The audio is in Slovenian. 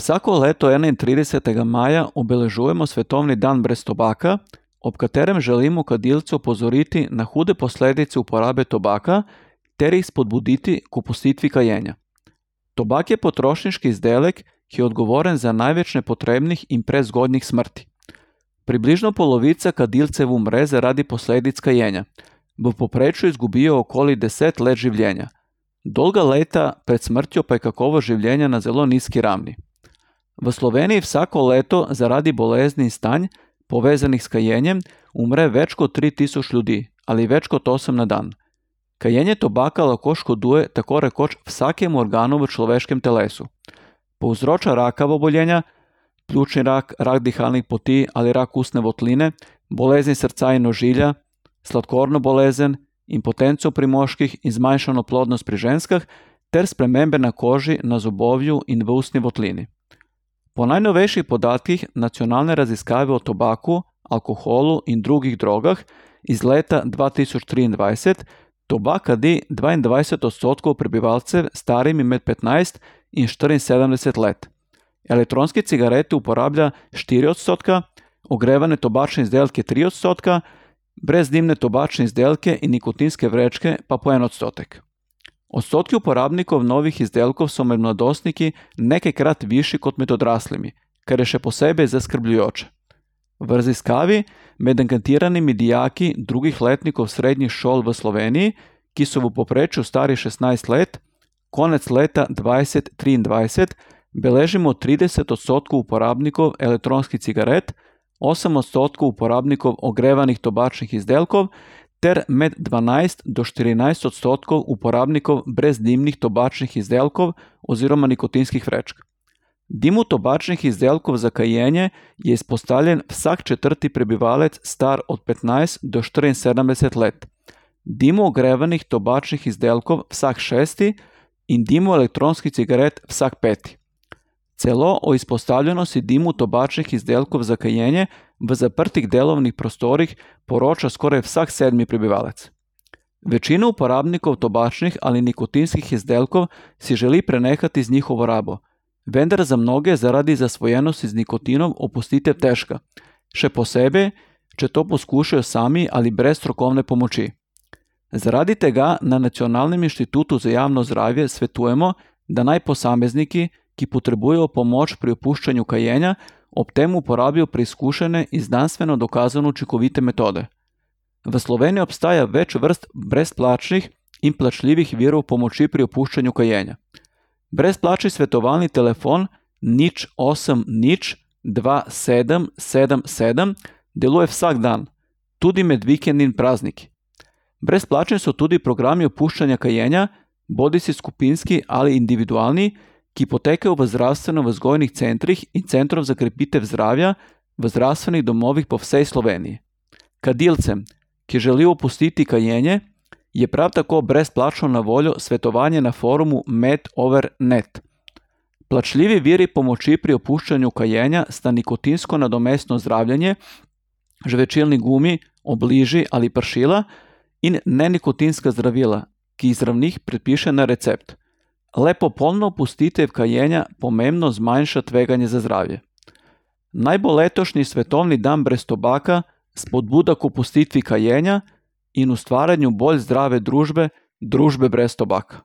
Vsako leto 31. maja obeležujemo Svetovni dan brez tobaka, ob katerem želimo kadilce opozoriti na hude posledice uporabe tobaka ter jih spodbuditi k opustitvi kajenja. Tobak je potrošniški izdelek, ki je odgovoren za največ nepotrebnih in prezgodnjih smrti. Približno polovica kadilcev umre zaradi posledic kajenja. V povprečju izgubijo okoli 10 let življenja. Dolga leta pred smrtjo pa je kakovost življenja na zelo nizki ravni. V Sloveniji vsako leto zaradi bolezni in stanj, povezanih s kajenjem, umre več kot 3000 ljudi ali več kot 8 na dan. Kajenje tobaka lahko škoduje tako rekoč vsakemu organu v človeškem telesu. Povzroča rakava obolenja, pljučni rak, rak dihalnih poti ali rak ustne votline, bolezni srca in ožilja, sladkorno bolezen, impotenco pri moških in zmanjšano plodnost pri ženskah ter spremembe na koži, na zobovju in v ustni votlini. Po najnovejših podatkih nacionalne raziskave o tobaku, alkoholu in drugih drogah iz leta 2023 tobak kadi 22% prebivalcev starimi med 15 in 74 let. Elektronske cigarete uporablja 4%, ogrevane tobačne izdelke 3%, brezdimne tobačne izdelke in nikotinske vrečke pa po 1%. Odstotki uporabnikov novih izdelkov so med mladostniki nekajkrat višji kot med odraslimi, kar je še posebej zaskrbljujoče. V raziskavi med anketiranimi dijaki drugih letnikov srednjih šol v Sloveniji, ki so v povprečju stari 16 let, konec leta 2023 beležimo 30% uporabnikov elektronskih cigaret, 8% uporabnikov ogrevanih tobačnih izdelkov ter med 12 do 14% uporabnikov brezdimnih tobačnih izdelkov oziroma nikotinskih vrečk. Dimu tobačnih izdelkov za kajenje je izpostavljen vsak četrti prebivalec star od 15 do 74 let, dimu ogrevanih tobačnih izdelkov vsak šesti in dimu elektronskih cigaret vsak peti. Celo o izpostavljenosti dimu tobačnih izdelkov za kajenje v zaprtih delovnih prostorih poroča skoraj vsak sedmi prebivalec. Večina uporabnikov tobačnih ali nikotinskih izdelkov si želi prenehati z njihovo rabo, vendar za mnoge zaradi zasvojenosti z nikotinom opustitev težka, še posebej, če to poskušajo sami ali brez strokovne pomoči. Zaradi tega na Nacionalnem inštitutu za javno zdravje svetujemo, da naj posamezniki, ki potrebujejo pomoč pri opuščanju kajenja, ob tem uporabijo preizkušene in znanstveno dokazano učinkovite metode. V Sloveniji obstaja več vrst brezplačnih in plačljivih virov pomoči pri opuščanju kajenja. Brezplačni svetovalni telefon 080 2777 deluje vsak dan, tudi med vikendi in prazniki. Brezplačni so tudi programi opuščanja kajenja, bodisi skupinski ali individualni, ki potekajo v zdravstveno-vzgojnih centrih in centrov za krepitev zdravja v zdravstvenih domovih po vsej Sloveniji. Kadilcem, ki želijo opustiti kajenje, je prav tako brezplačno na voljo svetovanje na forumu MedOver.net. Plačljivi viri pomoči pri opuščanju kajenja sta nikotinsko nadomestno zdravljenje, žvečilni gumi, obliži ali pršila in nenikotinska zdravila, ki jih zdravnik predpiše na recept. Le popolna opustitev kajenja pomembno zmanjša tveganje za zdravje. Naj bo letošnji Svetovni dan brez tobaka spodbuda k opustitvi kajenja in ustvarjanju bolj zdrave družbe brez tobaka.